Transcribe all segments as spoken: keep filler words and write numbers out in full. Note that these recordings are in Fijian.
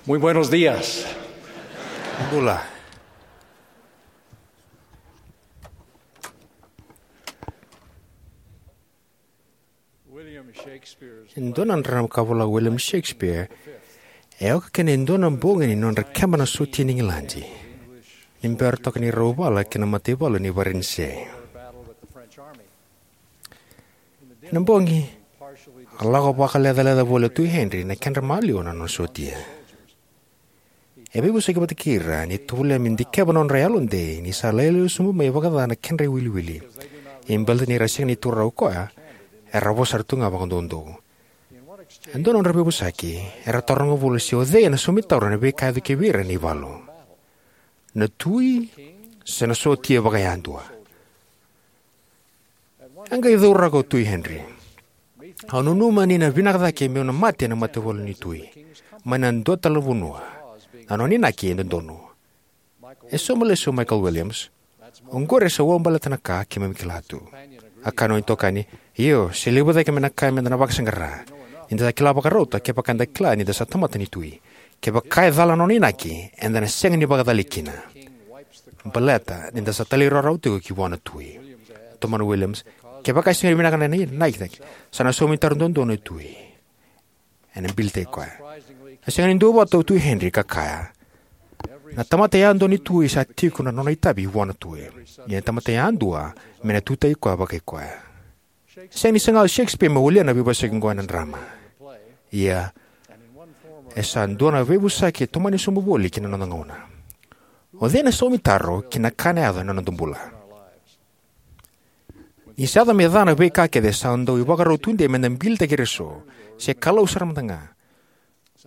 Muy buenos días. Bula. William Shakespeare's E dua na drama ka vola o William Shakespeare e oka kina e dua na bogi ni nodra keba na sotia ni Igiladi ni bera toka ni rau vala ki na mataivalu ni Varanise. Ena bogi, a lako vakalecaleca voli o Tui Henry na kedra maliwa na nona sotia. E veivosaki vata kei ira ni tovolea me dikeva na nodra yalodei ni sa lailai sobu mai vakaca na kedra iwiliwili. Ia baleta ni ra sega ni taura o koya, era vosa sara tu ga vakadoudou. E dua na nodra veivosaki, era taroga voli se o cei ena saumi taura na veika e yaco ki vei ira ena ivalu. Na tui, se na sotia vakayadua. E qai cauraka o Tui Henry. Au nanuma ni na vinaka cake meu na mate ena mataivalu ni tui, mai na dua tale na vanua. Na nona inaki e dodonu. E sauma lesu o Michael Williams. Oqori e sa uabaleta na ka keimami kila tu. A kaya na nona itokani, io, se levu cake mai na ka meda na vakasaqara. Ni da sa kila vakarauta kevaka eda kila ni da sa tamata ni tui. Kevaka e cala na nona inaki, eda na sega ni vakacalai kina. Baleta ni da sa talairawarawa tiko ki vua na tui. Tomana Williams, kevaka e sega ni vinaka na inaki, sa na saumi taro dodonu e tui. Ena bilitaki koya. E sega ni duavata o Tui Henry ka kaya, na tamata yadua ni tui sa tiko na nona itavi vua na tui. Ia na tamata yadua me na tutaki koya vakai koya. Sega ni saga o Shakespeare me walia na veivosaki oqo ena drama. Ia, e sa dua na veivosaki e tomani sobu voli ki na noda gauna. O cei na saumi taro ki na ka na yaco ena noda bula? Ni sa yaco me ca na veika kece sa dau ivakarau tudei meda bilitaki ira eso, se Kalou sara mada ga.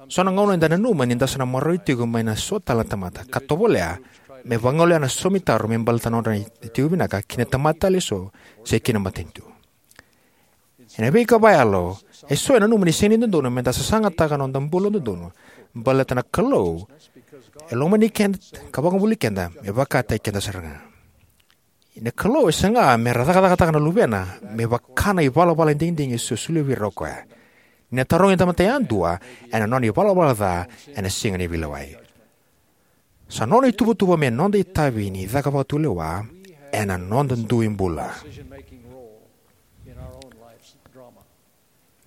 So na gauna eda nanuma ni da sa na maroroi tiko mai na so tale na tamata, ka tovolea me vagolea na saumi taro me baleta na nodra tiko vinaka ki na tamata tale eso, se ki na matanitu. Ena veika vakayalo, eso e nanuma ni sega ni dodonu meda sasagataka na noda bula dodonu, baleta na Kalou e lomani keda ka vakabulai keda me vakataki keda sara ga. Na Kalou e saga me ra cakacakataka na luvena me vaka na ivalavala digidigi e solia vei ira o koya. Ni na tarogi na tamata yadua ena nona ivalavala ca, ena sega ni veilewai. Sa nona ituvatuva me noda itavi ni caka vakatulewa ena noda dui bula.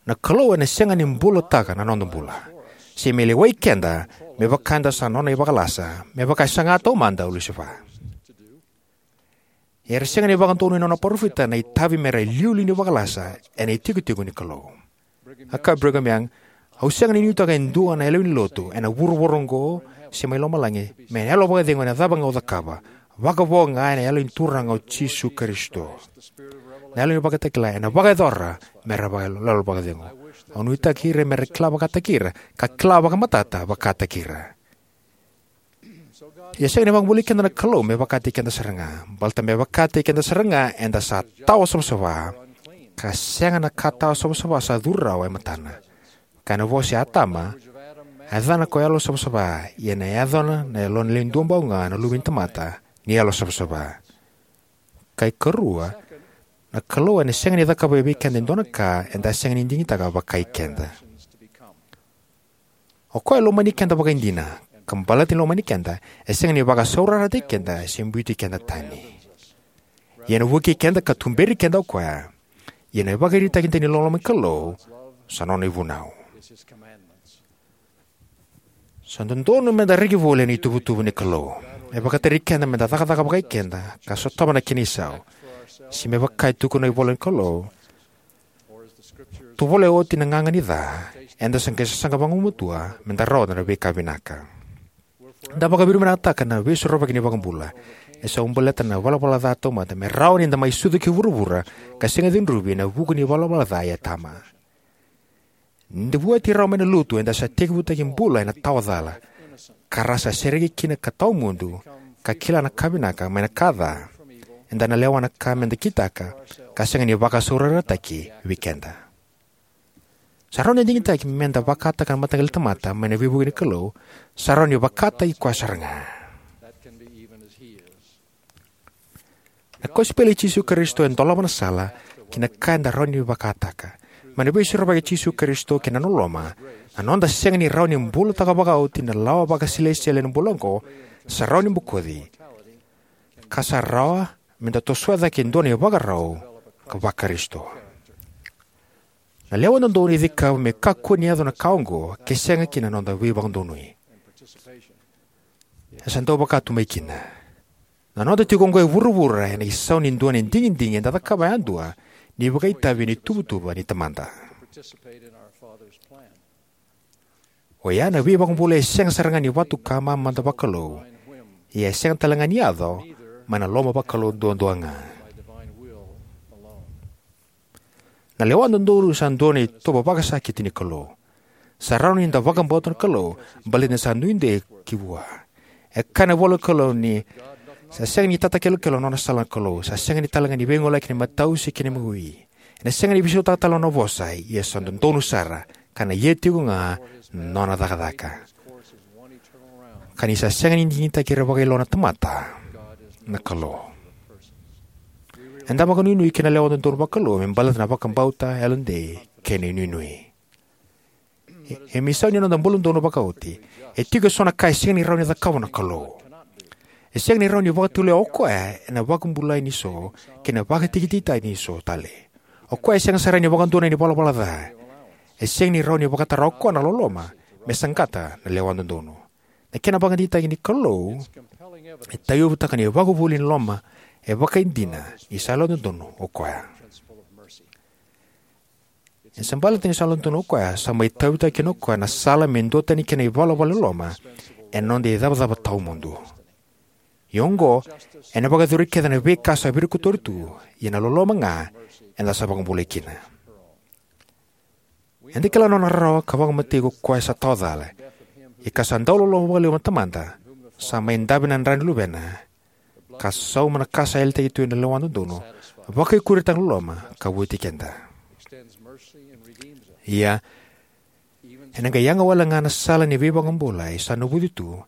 Na Kalou ena sega ni bulataka na noda bula, se me lewai keda me vaka eda sa nona ivakalasa, me vaka e saga taumada o Lusifa. Era sega ni vakadonui na nona parofita na itavi me ra iliuliu ni vakalasa ena itikotiko ni Kalou. A kaya o Brigham Young, au sega ni nuitaka e dua na yalewa ni lotu ena vuravura oqo se mai lomalagi me na yalo vakacegu ena cava ga au cakava, vakavo ga ena Yalo ni Turaga o Jisu Karisito. Na yalo ni vakatakila ena vakayacora me ra vakayalo vakacegu. Au nuitaki ira me ra kila vakataki ira, ka kila vakamatata vakataki ira. Ia sega ni vakabulai keda na Kalou me vakataki keda sara ga. Baleta me vakataki keda sara ga eda sa tawa savasava, ka sega na ka tawa savasava sa curu rawa e matana. Ka ena vosa i Atama, a yacana ko yalo savasava, ia ena yacana na yalona lewe duabau ga na Luve ni tamata ni yalo savasava. Ka ikarua, na Kalou ena sega ni cakava vei keda e dua na ka eda sega ni digitaka vakai keda. O koya e lomani keda vakaidina, ka baleta ni lomani keda, e sega ni vakasaurarataki keda se biuti keda tani. Ia ena vukei keda ka tuberi keda o koya. Ia na ivakaraitaki dina ni loloma ni Kalou sa nona ivunau. Sa dodonu meda reki voli ena ituvatuva ni Kalou. E vakatarai keda meda cakacaka vakai keda ka sotava na kena isau. Se me vaka e tukuna na ivola ni Kalou, tovolea oti na gaga ni ca, eda sa qai sasaga vagumatua meda rawata na veika vinaka. Da vakavinavinakataka na Veisorovaki ni iVakabula. E sa ubaleta na ivalavala ca taumada me rawa ni da mai sucu ki vuravura ka sega ni cudruvi ena vuku ni ivalavala ca i Atama. Ni da vueti rawa mai na lotu, eda sa tekivutaki bula ena tawa cala, ka ra sa sereki kina ka tawa mudu, ka kila na ka vinaka mai na ka ca. Eda na lewa na ka meda kitaka, ka sega ni vakasaurarataki vei keda. Sa rawa ni digitaki meda vakataka na mataqali tamata mai na veivuke ni Kalou, sa rawa ni vakataki koya sara ga. Na kosipeli i Jisu Karisito e dolava na sala ki na ka eda rawa ni vakataka. Mai na Veisorovaki i Jisu Karisito kei na nona loloma, na noda sega ni rawa ni bulataka vakaoti na lawa vakasilesitieli ena bula oqo sa rawa ni bokoci ka sa rawa me da tosoya cake e dua na ivakarau ka Vakarisito. Na lewa dodonu e cikeva me kakua ni yaco na ka oqo ke sega kina na noda veivakadonui. E sa dau vaka tu mai kina. Na noda tiko oqo e vuravura ena isau ni dua na digidigi eda cakava yadua ni vakaitavi ena ituvatuva ni Tamada. O ya na veivakabulai e sega sara ga ni vatuka mamada vakalou, ia e sega tale ga ni yaco mai na loma vakalou duadua ga. Na lewa dodonu sa dua na itovo vakasakiti ni Kalou. Sa rawa ni da vakabauta na Kalou baleta ni sa nuidei ki vua. E kaya na ivola ni Kalou ni sa sega ni tatakelokelo na nona sala na Kalou, sa sega ni tale ga ni veigoleyaki na imatau se kei na imawi. Ena sega ni veisautaka tale na nona vosa, ia sa dodonu sara, ka na ia tiko ga na nona cakacaka. Ka ni sa sega ni digitaki ira vakailoa na tamata na Kalou. Eda vakanuinui ki na lewa dodonu vakalou me baleta na vakabauta, yalodei kei na inuinui. E, e me isau ni noda bula donu vakaoti, e tiko eso na ka e sega ni rawa ni cakava na Kalou. E sega ni rawa ni vakatulewa o koya ena vakabulai ni so kei na vakatikitikitaki ni so tale. O koya e sega sara ni vakadonui ena ivalavala ca. E sega ni rawa ni vakatara o koya na loloma me saqata na lewa dodonu. Na kena vakadeitaki ni Kalou e tauyavutaka na ivakavuvuli ni loloma e vakaidina ni sa lewa dodonu o koya. E sa baleta ni sa lewa dodonu o koya, sa mai tauyavutaka kina o koya na sala me duatani kina na ivalavala ni loloma ena noda icavacava tawamudu. Ia oqo, ena vakayacori kece na veika sa virikotori tu, ia na loloma ga eda sa vakabulai kina. Eda kila na nona rarawa ka vakamatei ko koya sa tawa cala, ia ka sa dau loloma vakalevu na Tamada, sa mai dave na dra ni Luvena, ka sauma na ka sa yalataki tu ena lewa dodonu, vakaikuritaka na loloma ka vueti keda. Ia, ena qai yaga wale ga na sala ni veivakabulai sa navuci tu,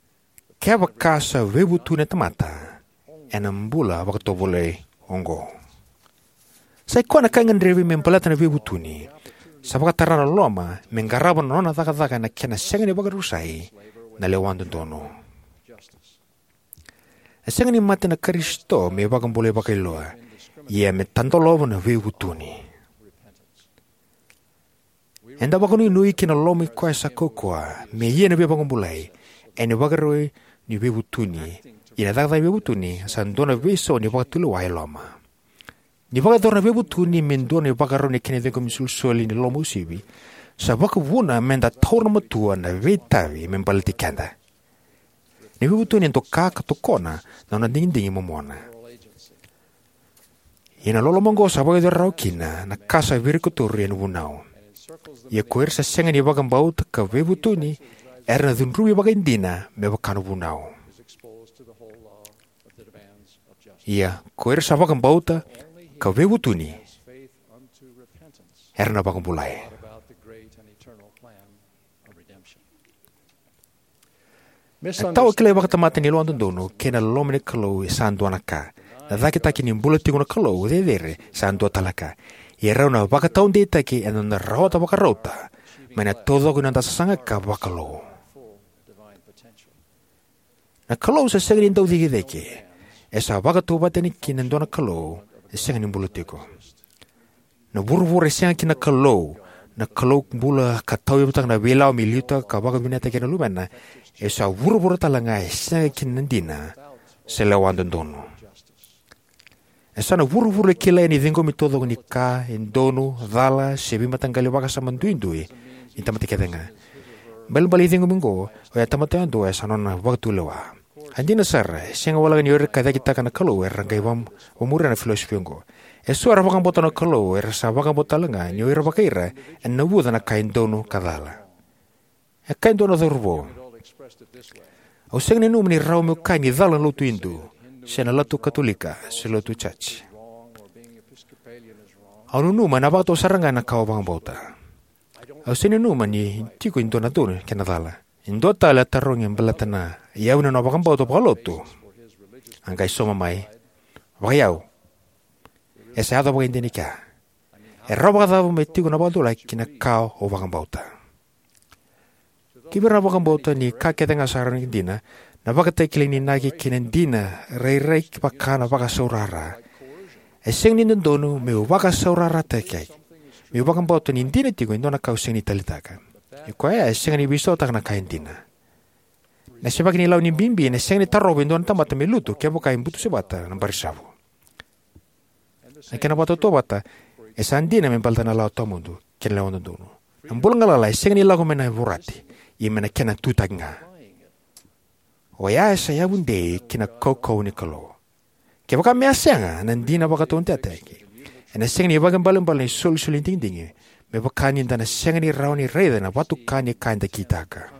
kevaka sa veivutuni na tamata ena bula vakatovolei oqo. Sai koya na ka e gadrevi me baleta na veivutuni, sa vakatara na loloma me qarava na nona cakacaka ena kena sega ni vakarusai na lewa dodonu. E sega ni mate na Karisito me vakabulai vakailoa, ia me tadolova na veivutuni. Eda vakanuinui ki na loloma i koya sa kaukauwa me ia na veivakabulai, ena ivakarau ni veivutuni, ia na cakacaka ni veivutuni sa dua na veisau ni vakatulewa e loma. Ni vakayacora na veivutuni me dua na ivakarau ni kena ciqomi isolisoli ni loloma uasivi, sa vakavuna me da taura matua na veitavi me baleti keda. Ni veivutuni e doka ka tokona na nona digidigi momona. Ia na loloma oqo sa vakayacori rawa kina na ka sa virikotori ena vunau. Ia ko ira sa sega ni vakabauta ka veivutuni, era na cudruvi vakaidina me vaka na vunau. Ia ko ira sa vakabauta ka veivutuni, era na vakabulai. Na tawa kilai vakatamata ni lewa dodonu kei na loloma ni Kalou e sa dua na ka. Na cakitaki ni bula tiko na Kalou cecere sa dua tale na ka. Ia rau na vakataudeitaki ena noda rawata vakarauta mai na taucoko ni noda sasaga ka vakalou. Na Kalou sa sega ni dau cikecike. E sa vakatauvatani kina e dua na Kalou e sega ni bula tiko. Na vuravura e sega kina na Kalou, na Kalou bula ka tauyavutaka na veilawa me liutaka ka vakavinakataka na Luvena, e sa vuravura tale ga e sega kina na dina se lewa dodonu. E sa na vuravura e kilai ena ciqomi taucoko ni ka e donu, cala, se veimataqali vakasama duidui ni tamata kece ga. Balebale ni ciqomi oqo, oya tamata yadua e sa nona vakatulewa. A dina sara, e sega walega ni o ira ka cakitaka na Kalou era qai va-, vamuria na filosofi oqo. E so era vakabauta na Kalou era sa vakabauta tale ga ni o ira vakai ira ena navuca na ka e donu ka cala. E kaya e dua na cauravou: "Au sega ni nanuma ni rawa meu kaya ni cala na lotu Idu, se na lotu Katolika, se lotu Church. Au nanuma ena vakatau sara ga na ka au vakabauta. Au sega ni nanuma ni tiko e dua na donu kei na cala." E dua tale a tarogi baleta na iyau ni nona vakabauta vakalotu. A qai sauma mai: "Vakaiyau. E sa yaco vakaidina e kea. E rawa vakacava me tiko na vakatulewa ki na ka o vakabauta? Kivei ira na vakabauta ni ka kece ga sa rawa ni dina, na vakatakilai ni inaki kei na dina rairai vaka na vakasaurara. E sega ni dodonu meu vakasaurarataki, meu vakabauta ni dina tiko e dua na ka au sega ni taleitaka. Ia koya e sega ni veisautaka na ka e dina. Na sevaki ni lawa ni bibi ena sega ni tarova e dua na tamata me lutu kevaka e butusevata na barisavu. Na kena vakatautauvata, e sa dina me baleta na lawa tawamudu kei na lewa dodonu. Na bula galala e sega ni lako mai na vorati, ia mai na kena tutaki ga. Oya e sa yavu dei ki na kaukauwa ni Kalou. Kevaka me a sega na dina vakataudeitaki, ena sega ni vakaibalebale na isolisoli ni digidigi, me vaka ni da na sega ni rawa ni raica na vatuka ni ka eda kitaka.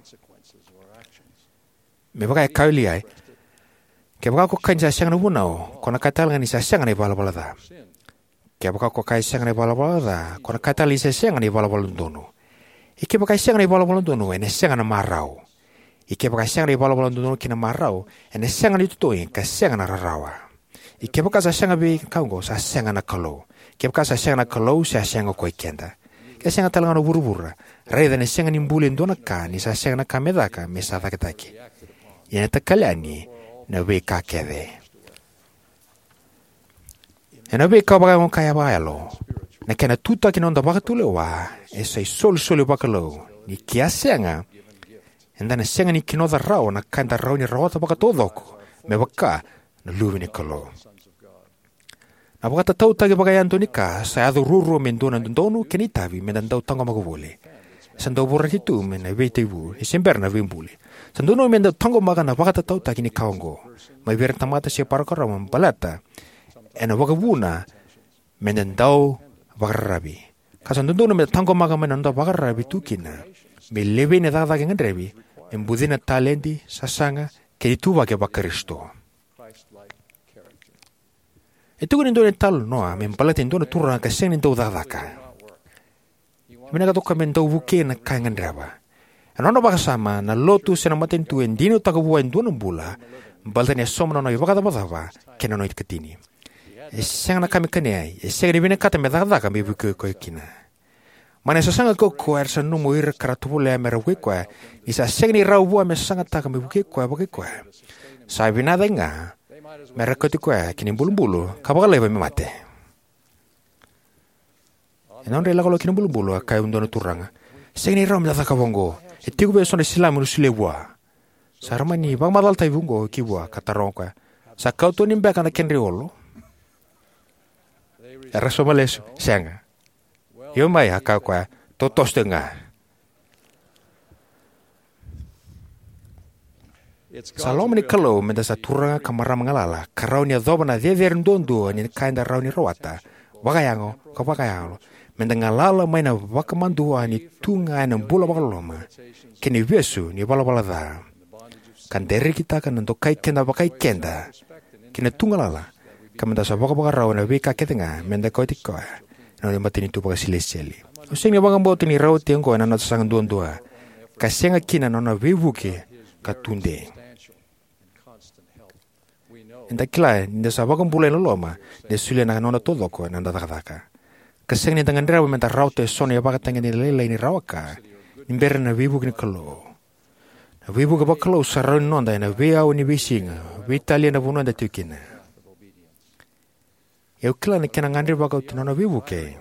Me vaka e kaya o Liai, kevaka ko kaya ni sa sega na vunau, ko na kaya tale ga ni sa sega na ivalavala ca. Kevaka ko kaya sega na ivalavala ca, ko na kaya tale ni sa sega na ivalavala dodonu. Ia kevaka e sega na ivalavala dodonu, ena sega na marau. Ia kevaka e sega na ivalavala dodonu kei na marau, ena sega na itotogi ka sega na rarawa. Ia kevaka sa sega vei ka oqo, sa sega na Kalou. Kevaka sa sega na Kalou, sa sega ko i keda. Ke sega tale ga na vuravura, raica ena sega ni buli e dua na ka ni sa sega na ka me caka me sa cakitaki. Ia ena takali yani na veika kece. Ena veika vakayago ka vakayalo, na kena tutaki na noda vakatulewa e sa isolisoli vakalou, ni ke a sega, eda na sega ni kinoca rawa na ka eda rawa ni rawata vakataucoko me vaka na luve ni Kalou. Na vakatatautaki vakayadua ni ka sa yaco ruarua me dua na dodonu kei na itavi me da dau taqomaka voli. Sa dau vorati tu me na veitaivu ni se bera na veibuli. Sa dodonu me da taqomaka na vakatatautaki ni ka oqo mai vei ira na tamata se parokaramu baleta ena vakavuna me da dau vakararavi. Ka sa dodonu me da taqomaka mai na noda vakararavi tu kina me levei na cakacaka e gadrevi me bucina na taledi, sasaga kei na ituvaki vaKarisito. E tukuni e dua na italanoa me baleta e dua na turaga ka sega ni dau cakacaka. E vinakata o koya me dau vukei na ka e gadreva. Ena nona vakasama, na lotu se na matanitu e dinautaka vua e dua na bula baleta ni a sauma na nona ivakacavacava kei na nona ikatini. E sega na ka me kania, e sega ni vinakata me cakacaka me vukei koya kina. Mai na sasaga kaukauwa era sa nanuma o ira ka ra tovolea me ra vukei koya, ni sa sega ni rawa vua me sagataka me vukei koya vakai koya. Sa vinaka cake ga me ra kauti koya ki na ibulubulu ka vakalaiva me mate. Ena nodra ilakolako ki na ibulubulu, a kaya e dua na turaga, "Sega ni rawa me da cakava oqo. E tiko vei au eso na silamu meu solia vua." Sa ra mani vakamacalataki oqo ki vua ka taroga o koya, "Sa kau tani beka na kedra iolo?" Era sauma lesu, "Sega." "Io mai," a kaya o koya, "totoso tiko ga." Sa loma ni Kalou me da sa turaga ka marama galala ka rawa ni yacova na cecere duadua ni ka eda rawa ni rawata vakayago ka vakayalo, me da galala mai na vakamadua ni tu ga ena bula vakaloloma kei na ivesu ni valavala ca, ka da rekitaka na dokai keda vakai keda kei na tu galala, ka me da sa vakavakarau ena veika kece ga me da kauti koya ena matanitu vakasilesitieli. Au sega ni vakabauta ni rawati oqo ena noda sasaga duadua, ka sega kina na nona veivuke ka tudei. Eda kila ni da sa vakabulai ena loloma ni da solia na noda taucoko ena noda cakacaka. Ka sega ni da gadreva me da rawata eso na ivakatagedegede lailai ni rawa ka ni bera na veivuke ni Kalou. Na veivuke vakalou sa rawa ni noda ena veiaua ni veisiga, veitalia na vanua eda tiko kina. Au kila ni kena gadreva vakauti na nona veivuke,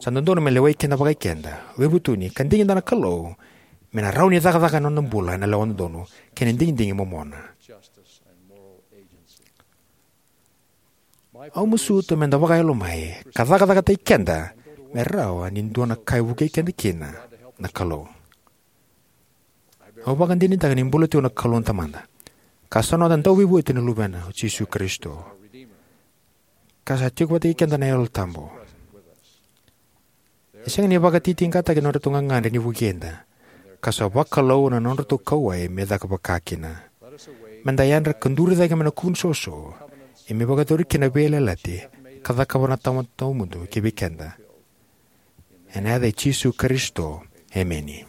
sa dodonu me lewai keda vakai keda, veivutuni, ka digitaka na Kalou me na rawa ni cakacaka ena noda bula ena lewa dodonu kei na digidigi momona. Au masuta me da vakayalo mai ka cakacakataki keda me rawa ni dua na ka e vukei keda kina na Kalou. Au vakadinadinataka ni bula tiko na Kalou na Tamada, ka sa noda Dauveivueti na Luvena, o Jisu Karisito, ka sa tiko vata kei keda na Yalo Tabu. E sega ni vakatitiqataki na nodratou gagadre ni vukei keda, ka sa vakalou na nodratou kauwai me caka vaka kina. Me da yadra ka duri cake mai na kuvuni soso, ia me vakayacori kina na veiyalayalati ka cakava na Tamada Tawamudu kivei keda. Ena yaca i Jisu Karisito, emeni.